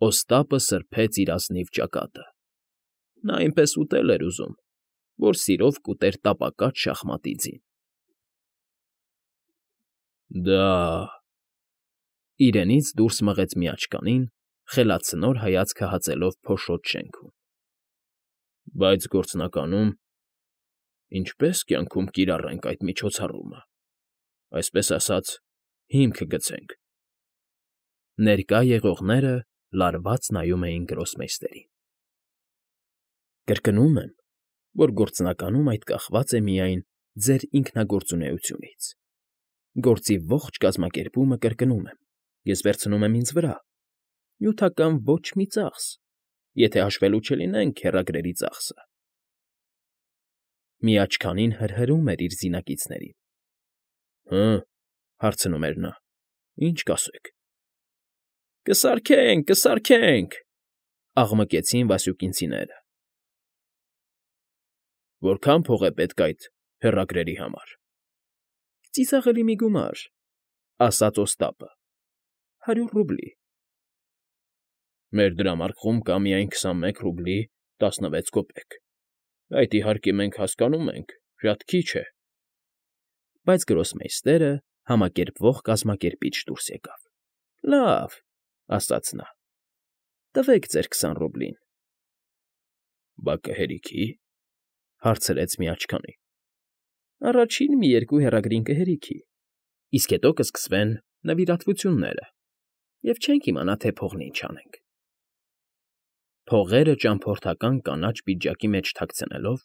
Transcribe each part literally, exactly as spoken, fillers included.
Օստապը սրբեց իր ազնիվ ճակատը. նա այնպես ուտել էր ուզում, որ սիրով կուտեր տապակած շախմատի ձին։ ֊ Դա,֊ իրենից դուրս մղեց միաճկանին, խելացնոր հայացքը հածելով փոշոտ շենքում,֊ բայց գործնականում… ինչպե՞ս կյանքում կիրառենք այդ միջոցառումը, այսպես ասած, հիմք գցենք… Ներկա եղողները լարված նայում էին Գրոսմեյստերին։ ֊ Կրկնում եմ, որ գործնականում այդ կախված է միայն ձեր ինքնագործունեությունից, գործի ողջ կազմակերպումը, կրկնում եմ, ես վերցնում եմ ինձ վրա, նյութական ոչ մի ծախս, եթե հաշվելու չլինենք քեռագրերի ծախսը… Միաճքանին հրհրում էր իր զինակիցներին։ ֊ Հը՞,֊ հարցնում էր նա,֊ ինչ կասեք։ ֊ Կսարքենք, կսարքենք,֊ աղմկեցին Վասյուկինցիները։ ֊ Որքա՞ն փող է պետք այդ հեռագրերի համար։ ֊ Ծիծաղելի մի գումար,֊ ասաց Օստապը,֊ հարյուր ռուբլի։ ֊ Մեր դրամարկղում կա միայն քսանմեկ ռուբլի տասնվեց կոպեկ, այդ, իհարկե, մենք հասկանում ենք, շատ քիչ է… Բայց Գրոսմեյստերը համակերպվող կազմակերպիչ դուրս եկավ։ ֊ Լավ,֊ ասաց նա,֊ տվեք ձեր քսան ռուբլին։ ֊ Բա կհերիքի՞,֊ հարցրեց միաճքանին։ ֊ Առաջին մի երկու հեռագրին կհերիքի, իսկ հետո կսկսվեն նվիրատվությունները, և չենք իմանա, թե փողն ինչ անենք… Փողերը ճամփորդական կանաչ պիջակի մեջ թաքցնելով,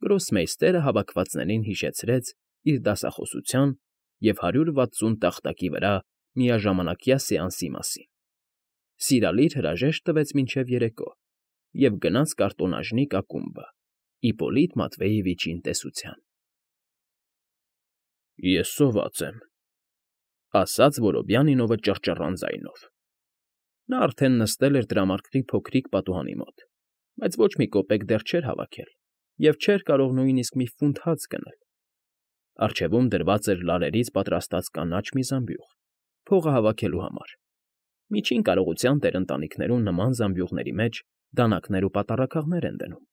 Գրոսմեյստերը հավաքվածներին հիշեցրեց իր դասախոսության և հարյուր վաթսուն տախտակի վրա միաժամանակյա սեանսի մասին, սիրալիր հրաժեշտ տվեց մինչև երեկո և գնաց կարտոնաժնիկ ակումբը Իպպոլիտ Մատվեևիչին տեսության։ ֊ Ես սոված եմ,֊ ասաց Որոբյանինովը ճռճռան ձայնով. նա արդեն նստել էր դրամարկղի փոքրիկ պատուհանի մոտ, բայց ոչ մի կոպեկ դեռ չէր հավաքել և չէր կարող նույնիսկ մի ֆունտ հաց գնել. առջևում դրված էր լարերից պատրաստած կանաչ մի զամբյուղ՝ փողը հավաքելու համար. միջին կարողության տերընտանիքներում նման զամբյուղների մեջ դանակներ ու պատառաքաղներ են դնում։ ֊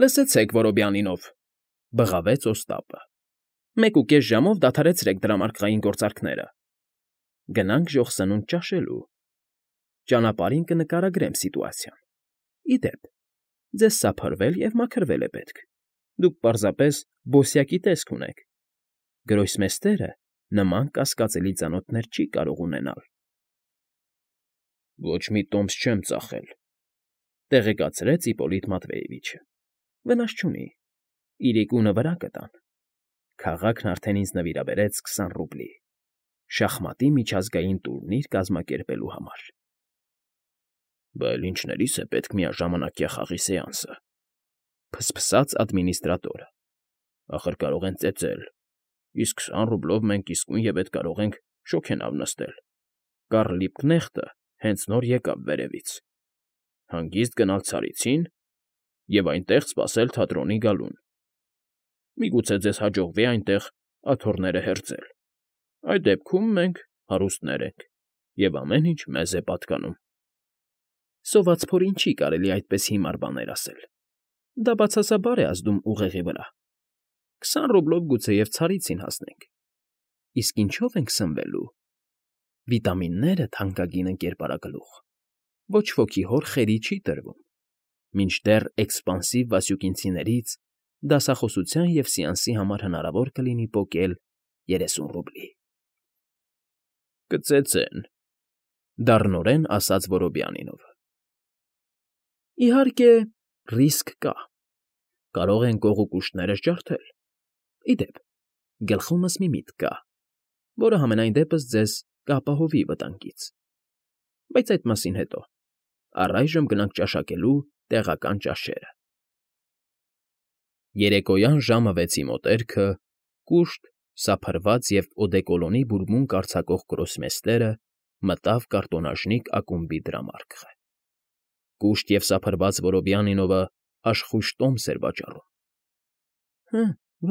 Լսեցեք, Որոբյանինով,֊ բղավեց Օստապը,֊ մեկ ու կես ժամով դադարեցրեք դրամարկղային գործարքները… Գնանք ժոխ սնունդ ճաշելու… Ճանապարհին կնկարագրեմ սիտուացիան… Ի դեպ, ձեզ սափրվել և մաքրվել է պետք, դուք պարզապես բոսյակի տեսք ունեք, Գրոսմեյստերը նման կասկածելի ծանոթներ չի կարող ունենալ։ ֊ Ոչ մի տոմս չեմ ծախել,֊ տեղեկացրեց Իպպոլիտ Մատվեևիչը,֊ վնաս չունի, իրիկունը վրա կտան… Քաղաքն արդեն ինձ նվիրաբերեց քսան ռուբլի՝ շախմատի միջազգային տուրնիր կազմակերպելու համար։ ֊ Բա էլ ինչներիս է պետք միաժամանակյա խաղի սեանսը,֊ ֆսֆսաց ադմինիստրատորը,֊ ախր կարող են ծեծել, իսկ քսան ռուբլով մենք իսկույն ետ կարող ենք շոգենավ նստել… Կարլ Լիբկնեխտը հենց նոր եկավ վերևից… Հանգիստ գնալ ցարիցի՞ն և այնտեղ սպասել թատրոնի գալուն… Միգուցե ձեզ հաջողվի այնտեղ աթոռները հերձել… Այդ դեպքում մենք հարուստներ ենք, և ամեն ինչ մեզ է պատկանում… Սոված փորին չի կարելի այդպես հիմար բաներ ասել… Դա բացասաբար է ազդում ուղեղի վրա… Քսան ռուբլով գուցեև ցարիցին հասնենք… Իսկ ինչո՞վ ենք սնվելու… Վիտամինները, թանկագին ընկերպարագլուխ, ոչ ոքի հոր խերի չի տրվում… Մինչդեռ էքսպանսիվ Վասյուկինցիներից դասախոսության և սեանսի համար հնարավոր կլինի պոկել երեսուն ռուբլի։ ֊ Կծեծեն,֊ դառնորեն ասաց Որոբյանինովը։ ֊ Իհարկե, ռիսկ կա, կարող են կողոպուշտներս ջարդել… Ի դեպ, գլխումս մի միտք կա, որը համենայն դեպս ձեզ կապահովի վտանգից… Բայց այդ մասին հետո, առայժմ գնանք ճաշակելու տեղական ճաշերը… Երեկոյան ժամը վեցի մոտերքը կուշտ, սափրված և օդեկոլոնի բուրմունք արձակող Գրոսմեյստերը մտավ կարտոնաժնիկ ակումբի դրամարկղը։ Կուշտ և սափրված Որոբյանինովը աշխույժ տոմս էր վաճառում։ ֊ Հը,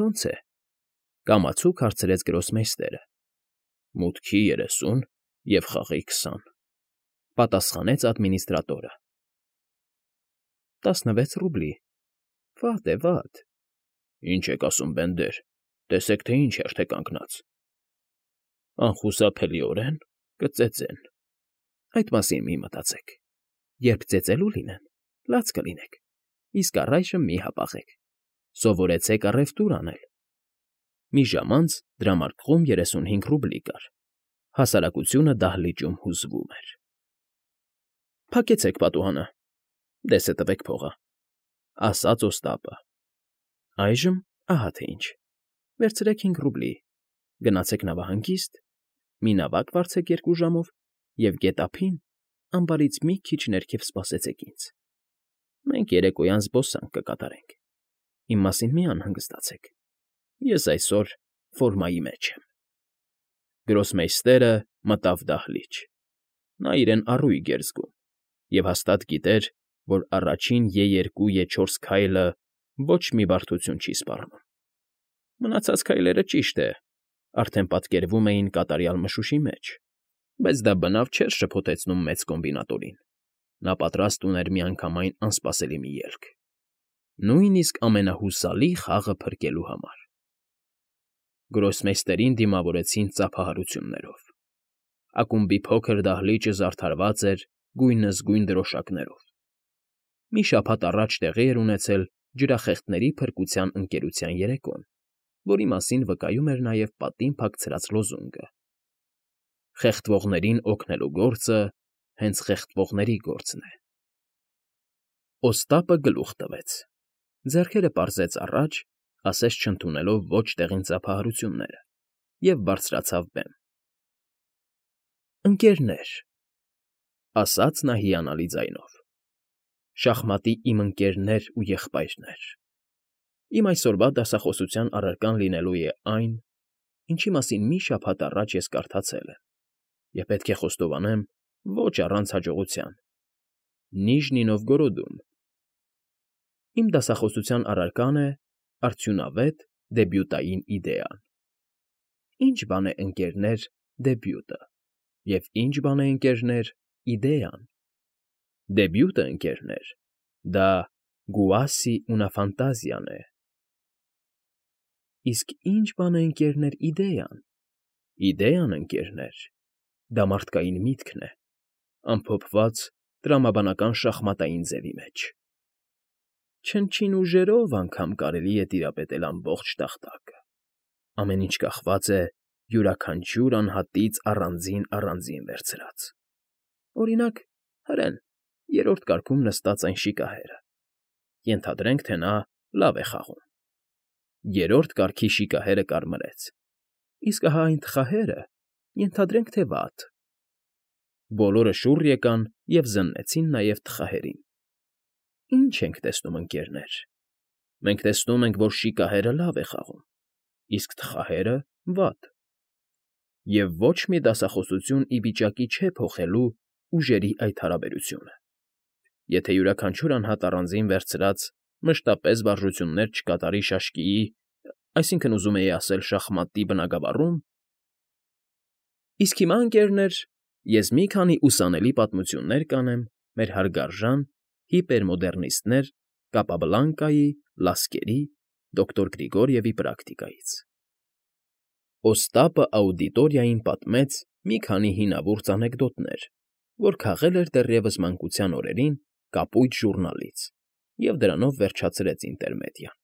ո՞նց է,֊ կամացուկ հարցրեց Գրոսմեյստերը։ ֊ Մուտքի երեսուն և խաղի քսան… Պատասխանեց ադմինիստրատորը։ Տասնվեց ռուբլի։ Վատ է, վատ։ Ինչ եք ասում, բենդեր, տեսեք, թե ինչ հերթ է կանգնած։ Անխուսափելիորեն կծեծեն։ Այդ մասին մի մտածեք։ Երբ ծեծելու լինեն, լաց կլինեք, իսկ առայժմ մի հապաղեք։ Սովորեցեք առևտուր անել։ Մի ժամ անց դրամարկղում երեսունհինգ ռուբլի կար։ Հասարակությունը դահլիճում հուզվում էր։ Փակեցեք պատուհանը, դեսը տվեք փողը, ասաց Օստապը։ Այժմ ահա թե ինչ։ Վերցրեք հինգ ռուբլի, գնացեք նավահանգիստ, մի նավակ վարձեք երկու ժամով և գետափին ամբարից մի քիչ ներքև սպասեցեք ինձ։ Մենք երեկոյան զբոսանք կկատարենք։ Իմ մասին մի անհանգստացեք։ Ես այսօր ֆորմայի մեջ եմ։ Գրոսմեյստերը մտավ դահլիճ։ Նա իրեն առույգ էր զգում և հաստատ գիտեր, որ առաջին է երկու է չորս քայլը ոչ մի բարդություն չի սպառնում։ Մնացած քայլերը, ճիշտ է, արդեն պատկերվում էին կատարյալ մշուշի մեջ, բայց դա բնավ չէր շփոթեցնում մեծ կոմբինատորին։ Նա պատրաստ ուներ միանգամայն անսպասելի մի ելք, նույնիսկ ամենահուսալի խաղը փրկելու համար։ Գրոսմեյստերին դիմավորեցին ծափահարություններով։ Ակումբի փոքր դահլիճը զարդարված էր գույնզգույն դրոշակներով։ Մի շաբաթ առաջ տեղի էր ունեցել ջրախեղդների փրկության ընկերության երեկոն, որի մասին վկայում էր նաև պատին փակցրած լոզունգը. «Խեղդվողներին օգնելու գործը հենց խեղդվողների գործն է»։ Օստապը գլուխ տվեց, ձեռքերը պարզեց առաջ, ասես չընդունելով ոչ տեղին ծափահարությունները, և բարձրացավ բեմ։ «Ընկերներ», ասաց նա հիանալի ձայնով, «շախմատի իմ ընկերներ ու եղբայրներ, իմ այսօրվա դասախոսության առարկան լինելու է այն, ինչի մասին մի շաբաթ առաջ ես կարդացել եմ, և պետք է խոստովանեմ, ոչ առանց հաջողության. Նիժնի Նովգորոդում։ Իմ դասախոսության առարկան է արդյունավետ դեբյուտային իդեան։ Ինչ բան է, ընկերներ, դեբյուտը, և ինչ բան է, ընկերներ, իդեան։ Դեբյուտը, ընկերներ, դա գուասի ունա ֆանտազիան է։ Իսկ ինչ բան է, ընկերներ, իդեան։ Իդեան, ընկերներ, դա մարդկային միտքն է, ամփոփված տրամաբանական շախմատային ձևի մեջ։ Չնչին ուժերով անգամ կարելի է տիրապետել ամբողջ տախտակը։ Ամեն ինչ կախված է յուրաքանչյուր անհատից առանձին֊առանձին վերցրած։ Օրինակ, հրեն, երրորդ կարգում նստած այն շիկահերը։ Ենթադրենք, թե նա լավ է խաղում։ Երրորդ կարգի շիկահերը կարմրեց, իսկ ահա այն թխահերը, ենթադրենք, թե վատ։ Բոլորը շուռ եկան և զննեցին նաև թխահերին։ Ինչ ենք տեսնում, ընկերներ։ Մենք տեսնում ենք, որ շիկահերը լավ է խաղում, իսկ թխահերը՝ վատ։ Եվ ոչ մի դասախոսություն ի վիճակի չէ փոխելու ուժերի այդ հարաբերությունը։ Եթե յուրաքանչյուր անհատ առանձին վերցրած մշտապես վարժություններ չկատարի շաշկիի, այսինքն, ուզում էի ասել, շախմատի բնագավառում։ Իսկ հիմա, ընկերներ, ես մի քանի ուսանելի պատմություններ կանեմ մեր հարգարժան հիպերմոդեռնիստներ Կապաբլանկայի, Լասկերի, դոկտոր Գրիգորիևի պրակտիկայից։ Օստապը աուդիտորիային պատմեց մի քանի հինավուրց անեկդոտներ, որ քաղել էր դեռևս մանկության օրերին կապույտ ժուռնալից, և դրանով վերջացրեց ինտերմեդիան։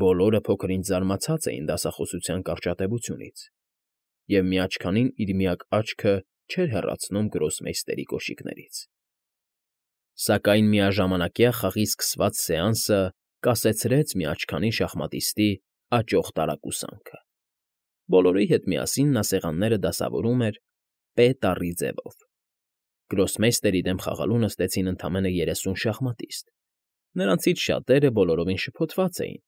Բոլորը փոքր-ինչ զարմացած էին դասախոսության կարճատևությունից, և միաչքանին իր միակ աչքը չէր հեռացնում գրոսմեյստերի կոշիկներից։ Սակայն միաժամանակյա խաղի սկսված սեանսը կասեցրեց միաչքանի շախմատիստի աճող տարակուսանքը։ Բոլորի հետ միասին նա սեղանները դասավորում էր Պ տառի ձևով։ Գրոսմեյստերի դեմ խաղալու նստեցին ընդամենը երեսուն շախմատիստ։ Նրանցից շատերը բոլորովին շփոթված էին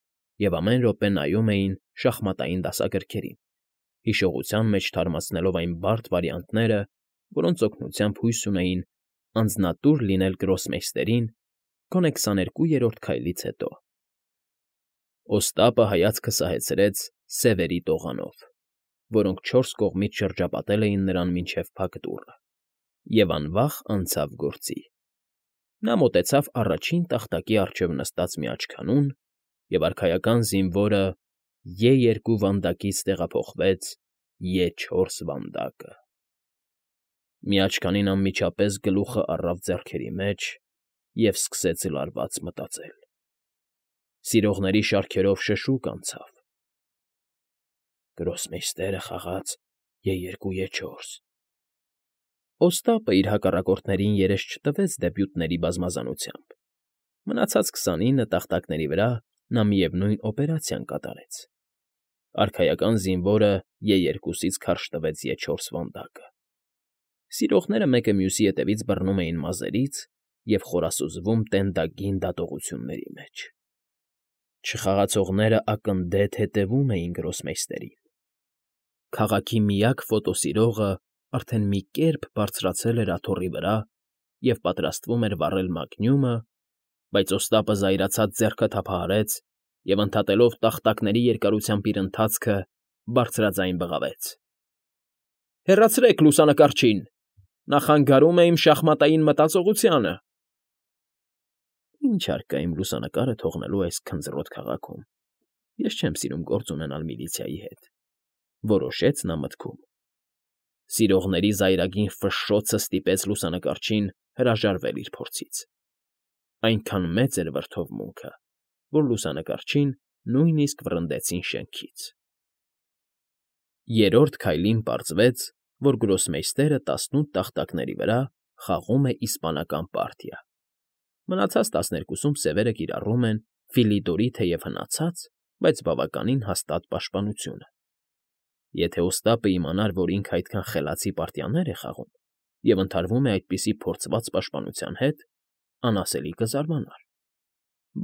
և ամեն րոպե նայում էին շախմատային դասագրքերին, հիշողության մեջ թարմացնելով այն բարդ վարիանտները, որոնց օգնությամբ հույս ունեին անձնատուր լինել գրոսմեյստերին գոնե քսաներկուերորդ քայլից հետո։ Օստապը հայացքը սահեցրեց սևերի տողանով, որոնք չորս կողմից շրջապատել էին նրան մինչև փակ դուռը։ Եվ անվախ անցավ գործի։ Նա մոտեցավ առաջին տախտակի առջև նստած մի աչքանուն, և արքայական զինվորը Ե երկու վանդակից տեղափոխվեց Ե չորս վանդակը։ Մի աչքանին անմիջապես գլուխը առավ ձեռքերի մեջ և սկսեց լարված մտածել։ Սիրողների շարքերով շշուկ անցավ. «Գրոսմեյստերը խաղաց Ե երկու Ե չորս»։ Օստապը իր հակառակորդներին երես չտվեց դեպյուտների բազմազանությամբ։ Մնացած քսանինը տախտակների վրա նա միևնույն օպերացիան կատարեց։ Արքայական զինվորը Ե երկուսից քարշ տվեց Ե չորս վանդակը։ Սիրողները մեկը մյուսի ետևից բռնում էին մազերից և խորասուզվում տենդագին դատողությունների մեջ։ Չխաղացողները ակնդեթ հետևում էին գրոսմեյստերին։ Քաղաքի միակ ֆոտոսիրողը արդեն մի կերպ բարձրացել էր աթոռի վրա և պատրաստվում էր վառել մագնյումը, բայց Օստապը զայրացած ձեռքը թափահարեց և, ընդհատելով տախտակների երկարությամբ իր ընթացքը, բարձրաձայն բղավեց. «Հեռացրեք լուսանկարչին, նա խանգարում է իմ շախմատային մտածողությանը»։ Ինչ հարկ կա իմ լուսանկարը թողնելու այս քնձռոտ քաղաքում, ես չեմ սիրում գործ ունենալ միլիցիայի հետ, որոշեց նա մտքում։ Սիրողների զայրագին ֆշշոցը ստիպեց լուսանկարչին հրաժարվել իր փորձից։ Այնքան մեծ էր վրդովմունքը, որ լուսանկարչին նույնիսկ վռնդեցին շենքից։ Երրորդ քայլին պարզվեց, որ գրոսմեյստերը տասնութ տախտակների վրա խաղում է իսպանական պարտիա։ Մնացած տասներկուսում սևերը կիրառում են Ֆիլիդորի թեև հնացած, բայց բավականին հաստատ պաշտպանությունը։ Եթե Օստապը իմանար, որ ինքը այդքան խելացի պարտիաներ է խաղում և ընդհարվում է այդպիսի փորձված պաշտպանության հետ, անասելի կզարմանար։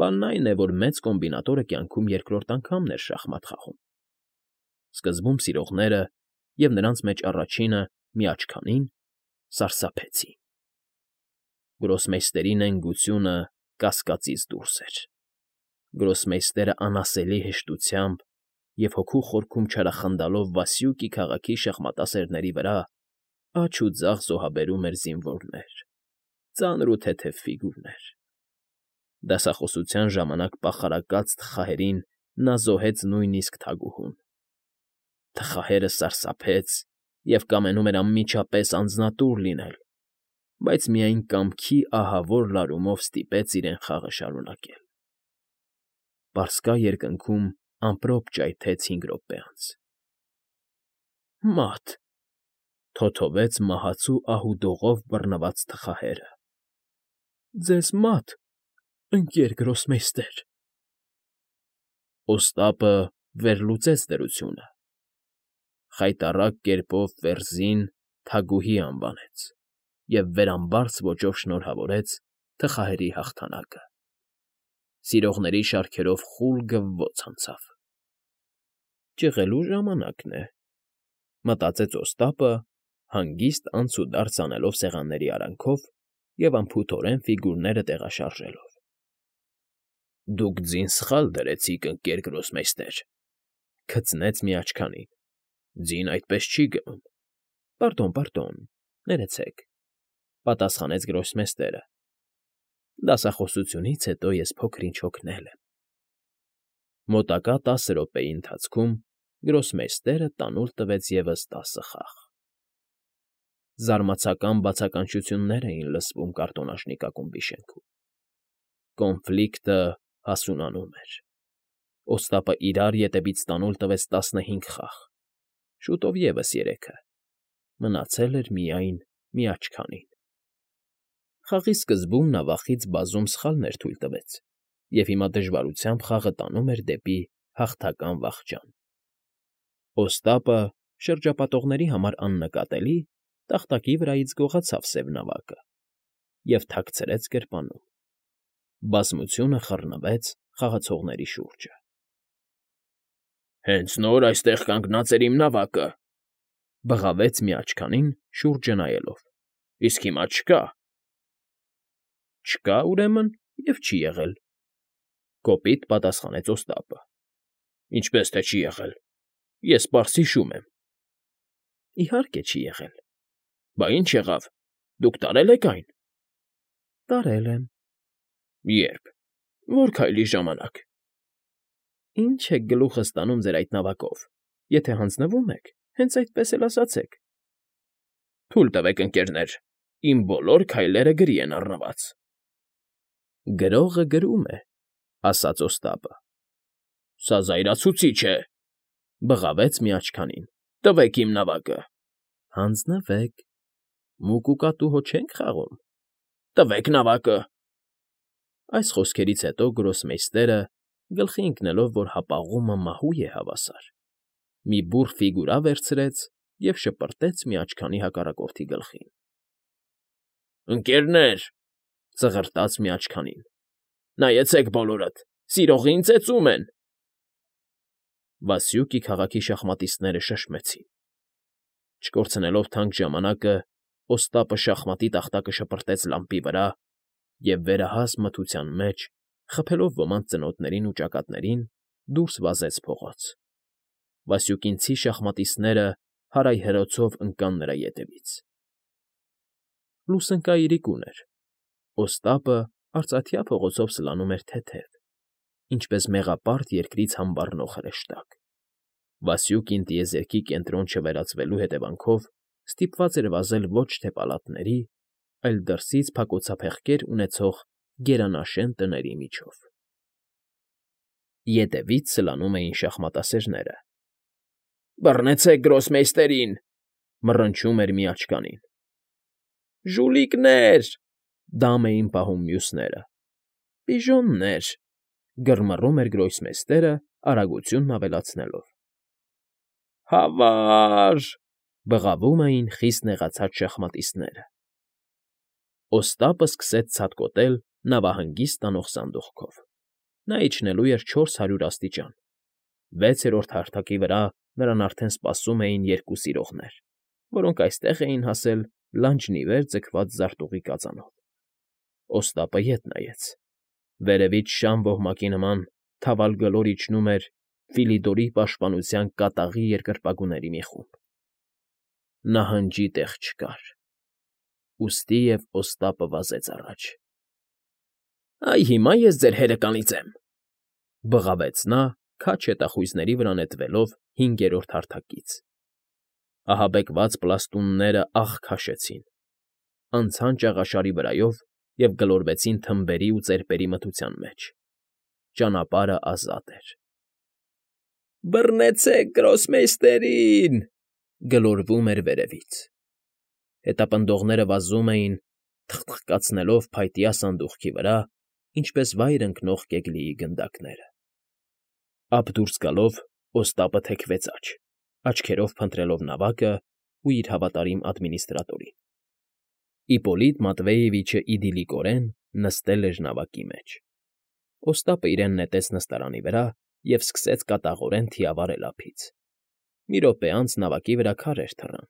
Բանն այն է, որ մեծ կոմբինատորը կյանքում երկրորդ անգամն էր շախմատ խաղում։ Սկզբում սիրողները, և նրանց մեջ առաջինը՝ միաչքանին, սարսափեցին։ Գրոսմեյստերի նենգությունը կասկածից դուրս էր։ Գրոսմեյստերը անասելի հեշտությամբ և հոգու խորքում չարախնդալով Վասյուկի քաղաքի շախմատասերների վրա աջ ու ձախ զոհաբերում էր զինվորներ, ծանր ու թեթև ֆիգուրներ։ Դասախոսության ժամանակ պախարակած թխահերին նա զոհեց նույնիսկ թագուհուն։ Թխահերը սարսափեց և կամենում էր անմիջապես անձնատուր լինել, բայց միայն կամքի ահավոր լարումով ստիպեց իրեն խաղը շարունակել։ Պարսկա երկնքում ամպրոպ ճայթեց հինգ րոպե անց։ «Մա՛տ», թոթովեց մահացու ահուդողով բռնված թխահերը։ «Ձեզ մա՛տ, ընկեր գրոսմեյստեր»։ Օստապը վերլուծեց դրությունը, խայտառակ կերպով Ֆերզին թագուհի անվանեց և վերամբարձ ոճով շնորհավորեց թխահերի հաղթանակը։ Սիրողների շարքերով խուլ գվվոց անցավ։ «Ճղելու ժամանակն է», մտածեց Օստապը, հանգիստ անցուդարձ անելով սեղանների արանքով և անփութորեն ֆիգուրները տեղաշարժելով։ «Դուք ձին սխալ դրեցիք, ընկեր գրոսմեյստեր», քծնեց միաչքանին։ «Ձին այդպես չի գնում»։ «Պարդոն, պարդոն, ներեցեք», պատասխանեց գրոսմեյստերը։ «Դասախոսությունից հետո ես փոքր֊ինչ հոգնել եմ»։ Մոտակա տասը րոպեի ընթացքում գրոսմեյստերը տանուլ տվեց ևս տասը խաղ։ Զարմացական բացականչություններ էին լսվում կարտոնաժնիկ ակումբի շենքում։ Կոնֆլիկտը հասունանում էր։ Օստապը իրար ետևից տանուլ տվեց տասնհինգ խաղ, շուտով ևս երեքը, մնացել էր միայն մի աչքանին։ Խաղի սկզբում նա վախից բազում սխալներ թույլ տվեց, և հիմա դժվարությամբ խաղը տանում էր դեպի հաղթական վախճան։ Օստապը, շրջապատողների համար աննկատելի, տախտակի վրայից գողացավ սև նավակը և թաքցրեց գրպանում։ Բազմությունը խռնվեց խաղացողների շուրջը։ «Հենց նոր այստեղ կանգնած էր իմ նավակը», բղավեց միաչքանին, շուրջը նայելով։ «Իսկ հիմա չկա»։ «Չկա, ուրեմն, և չի եղել», կոպիտ պատասխանեց Օստապը։ «Ինչպես թե չի եղել, ես պարզ հիշում եմ»։ «Իհարկե չի եղել»։ «Բա ի՞նչ եղավ»։ Դուք տարել եք այն։ ֊ Տարել եմ։ ֊ Ե՞րբ, որ քայլի ժամանակ։ ֊ Ինչ եք գլուխս տանում ձեր այդ նավակով, եթե հանձնվում եք, հենց այդպես էլ ասացեք։ ֊ Թույլ տվեք, ընկերներ, իմ բոլոր քայլերը գրի են առնված։ ֊ Գրողը գրում է,֊ ասաց Օստապը։ ֊ Սա զայրացուցիչ է,֊ բղավեց միաչքանին։ ֊ Տվեք իմ նավակը։ ֊ Հանձնվեք, մուկ ու կատու հո չենք խաղում։ ֊ Տվեք նավակը։ Այս խոսքերից հետո գրոսմեյստերը, գլխի ընկնելով, որ հապաղումը մահու է հավասար, մի բուռ ֆիգուրա վերցրեց և շպրտեց միաչքանի հակառակորդի գլխին։ ֊ Ընկերներ,֊ ծղրտաց միաչքանին,֊ նայեցեք բոլորդ, սիրողին ծեծում են։ Վասյուկի քաղաքի շախմատիստները շշմեցին։ Չկորցնելով թանկ ժամանակը, Օստապը շախմատի տախտակը շպրտեց լամպի վրա և, վերահաս մթության մեջ, խփելով ոմանց ծնոտներին ու ճակատներին, դուրս վազեց փողոց։ Վասյուկինցի շախմատիստները հարայհրոցով ընկան նրա ետևից։ Լուսընկա իրիկուն էր։ Օստապը արծաթյա փողոցով սլանում էր թեթև, ինչպես մեղապարտ երկրից համբառնող հրեշտակ։ Վասյուկին տիեզերքի կենտրոն չվերածվելու հետևանքով ստիպված էր վազել ոչ թե պալատների, այլ դրսից փակոցափեղկեր ունեցող գերանաշեն տների միջով։ Ետևից սլանում էին շախմատասերները։ ֊ Բռնեցեք գրոսմեյստերին,֊ մռնչում էր միաչքանին։ ֊ Ժուլիկներ,֊ դամ էին պահում մյուսները։ ֊ Պիժոններ,֊ գրմռում էր գրոսմեյստերը՝ արագությունն ավելացնելով։ ֊ Հավա՜ր,֊ բղավում էին խիստ նեղացած շախմատիստները։ Օստապը սկսեց ցատկոտել նավահանգիստ տանող սանդուղքով։ Նա իջնելու էր չորս հարյուր աստիճան։ Վեցերորդ հարթակի վրա նրան արդեն սպասում էին երկու սիրողներ, որոնք այստեղ էին հասել լանջն ի վեր ձգված զարտուղի կածանով։ Օստապը ետ նայեց։ Վերևից շան ոհմակի նման թավալ գլոր իջնում էր Ֆիլիդորի պաշտպանության կատաղի երկրպագուների մի խումբ։ Նահանջի տեղ չկար, ուստի և Օստապը վազեց առաջ։ ֊ Այ հիմա ես ձեր հերը կանիծեմ,֊ բղավեց նա, քաջ հետախույզների վրա նետվելով հինգերորդ հարթակից։ Ահաբեկված պլաստունները աղ քաշեցին, անցան ճաղաշարի վրայով և գլորվեցին թմբերի ու ծեպերի մթության մեջ։ Ճանապարհը ազատ էր։ ֊ Բռնեցեք գրոսմեյստերին,֊ գլորվում էր վերևից։ Հետապնդողները վազում էին, թխթխկացնելով փայտյա սանդուղքի վրա, ինչպես վայր ընկնող կեգլիի գնդակները։ Ափ դուրս գալով՝ Օստապը թեքվեց աջ, աչքերով փնտրելով նավակն ու իր հավատարիմ ադմինիստրատորին։ Իպպոլիտ Մատվեևիչը իդիլիկորեն նստել էր նավակի մեջ։ Օստապը իրեն նետեց նստարանի վրա և սկսեց կատաղորեն թիավարել ափից։ Մի րոպե անց նավակի վրա քարեր թռան։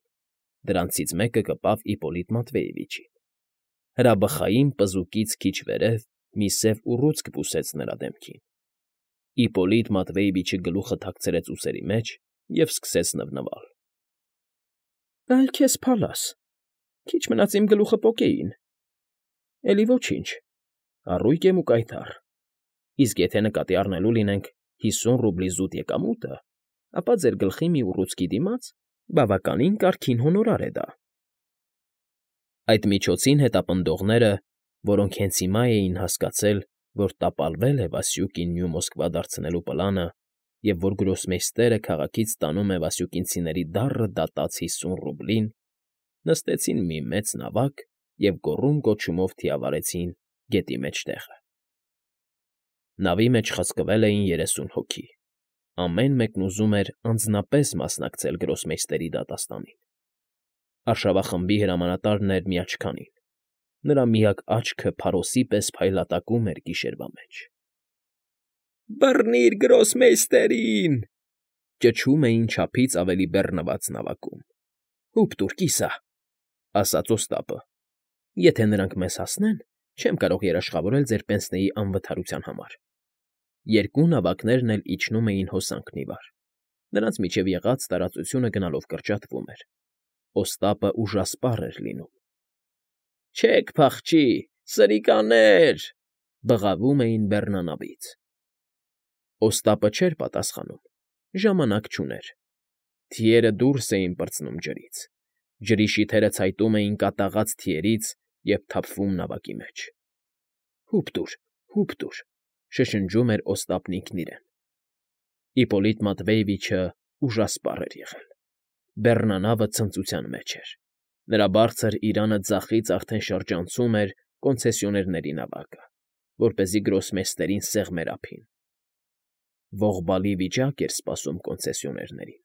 Դրանցից մեկը կպավ Իպպոլիտ Մատվեևիչին։ Հրաբխային պզուկից քիչ վերև մի սև ուռուցք բուսեց նրա դեմքին։ Իպպոլիտ Մատվեևիչը գլուխը թաքցրեց ուսերի մեջ և սկսեց նվնվալ։ ֊ Այ քեզ փալաս, քիչ մնաց իմ գլուխը պոկեին։ ֊ Էլի ոչինչ, առույգ եմ ու կայտառ, իսկ եթե նկատի առնելու լինենք հիսուն ռուբլի զուտ եկամուտը, ապա ձեր գլխի մի ուռուցքի դիմաց բավականին կարգին հոնորար է դա։ Այդ միջոցին հետապնդողները, որոնք հենց հիմա էին հասկացել, որ տապալվել է Վասյուկին Նյու Մոսկվա դարձնելու պլանը և որ գրոսմեյստերը քաղաքից տանում է վասյուկինցիների դառը դատած հիսուն ռուբլին, նստեցին մի մեծ նավակ և գոռում֊գոչումով թիավարեցին գետի մեջտեղը։ Նավի մեջ խցկվել էին երեսուն հոգի։ Ամեն մեկն ուզում էր անձնապես մասնակցել գրոսմեյստերի դատաստանին։ Արշավախմբի հրամանատարն էր միաչքանին։ Նրա միակ աչքը փարոսի պես փայլատակում էր գիշերվա մեջ։ ֊ Բռնիր գրոսմեյստերին,֊ ճչում էին չափից ավելի բեռնված նավակում։ ֊ Հուպ տուր, կիսա,֊ ասաց Օստապը,֊ եթե նրանք մեզ հասնեն, չեմ կարող երաշխավորել ձեր պենսնեի անվթարության համար։ Երկու նավակներն էլ իջնում էին հոսանքն ի վար։ Նրանց միջև եղած տարածությունը գնալով կրճատվում էր։ Օստապը ուժասպառ էր լինում։ Չեք փախչի, սրիկաներ, բղավում էին բեռնանավից։ Օստապը չէր պատասխանում, ժամանակ չուներ։ Թիերը դուրս էին պրծնում ջրից, ջրի շիթերը ցայտում էին կատաղած թիերից և թափվում նավակի մեջ։ «Հո՛ւպ տուր, հո՛ւպ տուր», շշնջում էր Օստապն ինքն իրեն։ Իպպոլիտ Մատվեևիչը ուժասպառ էր եղել։ Բեռնանավը ցնծության մեջ էր։ Նրա բարձր իրանը ձախից արդեն շրջանցում էր կոնցեսիոներների նավակը, որպեսզի գրոսմեյստերին սեղմեր ափին։ Ողբալի վիճակ էր սպասում կոնցեսիոներներին։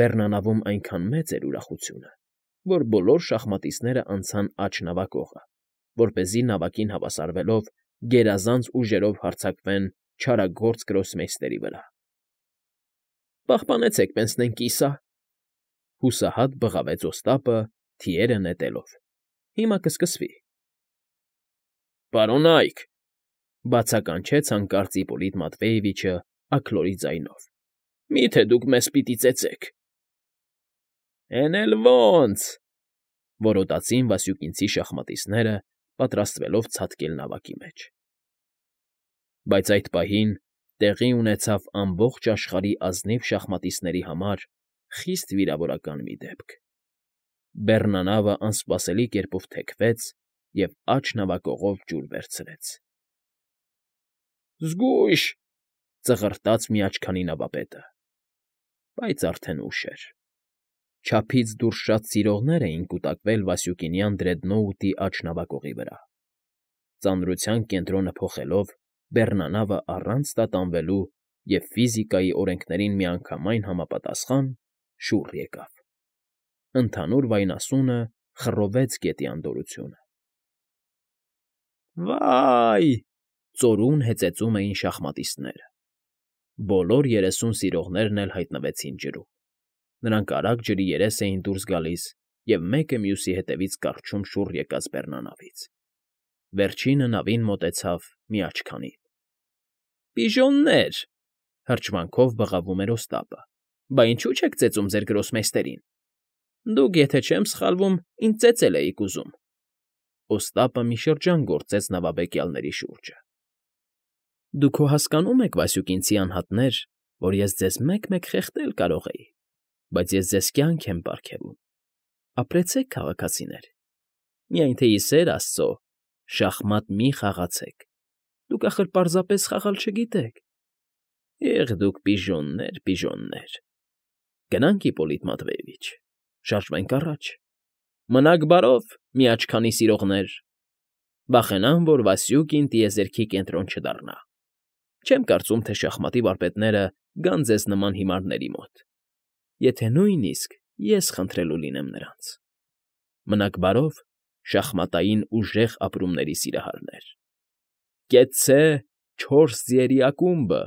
Բեռնանավում այնքան մեծ էր ուրախությունը, որ բոլոր շախմատիստները անցան աջ նավակողը, որպեսզի նավակին հավասարվելով գերազանց ուժերով հարձակվեն չարագործ գրոսմեյստերի վրա։ «Պահպանեցեք պենսնեն, կիսա», հուսահատ բղավեց Օստապը, թիերը նետելով։ «Հիմա կսկսվի»։ «Պարոնա՛յք,֊ բացականչեց հանկարծ Իպպոլիտ Մատվեևիչը աքլորի ձայնով,֊ մի՞թե դուք մեզ պիտի ծեծեք»։ «Էն էլ ո՜նց,֊ որոտացին Վասյուկինցի շախմատիստները, պատրաստվելով ցատկել նավակի մեջ։ Բայց այդ պահին տեղի ունեցավ ամբողջ աշխարհի ազնիվ շախմատիստների համար խիստ վիրավորական մի դեպք։ Բեռնանավը անսպասելի կերպով թեքվեց և աջ նավակողով ջուր վերցրեց։ «Զգույշ,֊ ծղրտաց միաչքանի նավապետը։ Բայց արդեն ուշ էր։ Չափից դուրս շատ սիրողներ էին կուտակվել Վասյուկինյան դրեդնոուտի աջ նավակողի վրա։ Ծանրության կենտրոնը փոխելով՝ բեռնանավը առանց տատանվելու և ֆիզիկայի օրենքներին միանգամայն համապատասխան շուռ եկավ։ Ընդհանուր վայնասունը խռովեց գետի անդորրությունը։ «Վա՜յ,֊ ծորուն հեծեծում էին շախմատիստները։ Բոլոր երեսուն սիրողներն էլ հայտնվեցին ջրում։ Նրանք արագ ջրի երես էին դուրս գալիս և մեկը մյուսի հետևից կառչում շուռ եկած բեռնանավից։ Վերջինը նավին մոտեցավ միաչքանին։ «Պիժոննե՜ր,֊ հրճվանքով բղավում էր Օստապը,֊ բա ինչու՞ չեք ծեծում ձեր գրոսմեյստերին։ Դուք, եթե չեմ սխալվում, ինձ ծեծել էիք ուզում»։ Օստապը մի շրջան գործեց նավաբեկյալների շուրջը։ «Դուք հո հասկանո՞ւմ եք, Վասյուկինցի անհատներ, որ ես ձեզ մեկ֊մեկ խեղդել կարող էի, բայց ես ձեզ կյանք եմ պարգևում։ Ապրեցեք, քաղաքացիներ, միայն թե, ի սեր աստծո, շախմատ մի խաղացեք, դուք, ախր, պարզապես խաղալ չգիտեք։ Էղ դուք պիժոններ, պիժոններ… Գնա՞նք, Իպպոլիտ Մատվեևիչ, շարժվենք առաջ։ Մնաք բարով, միաչքանի սիրողներ… Վախենամ, որ Վասյուկին տիեզերքի կենտրոն չդառնա։ Չեմ կարծում, թե շախմատի վարպետները գան ձեզ նման հիմարների մոտ, եթե նույնիսկ ես խնդրելու լինեմ նրանց։ Մնաք բարով, շախմատային ուժեղ ապրումների սիրահարներ… Կեցցե չորս ձիերի ակումբը։